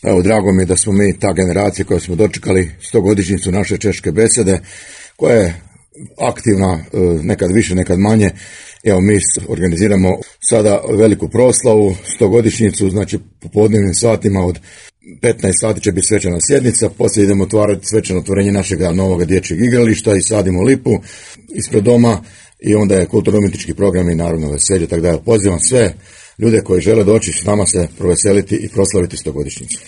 Evo, drago mi je da smo mi ta generacija koja smo dočekali 100-godišnjicu naše češke besede, koja je aktivna, nekad više, nekad manje. Evo, mi organiziramo sada veliku proslavu, 100-godišnjicu, znači popodnevnim satima od 15 sati će biti svečana sjednica, poslije idemo otvarati svečano otvorenje našega novog dječjeg igrališta i sadimo lipu ispred doma i onda je kulturno-umjetnički program i naravno veselje, tako da pozivam sve ljude koji žele doći s nama se proveseliti i proslaviti 100-godišnjicu.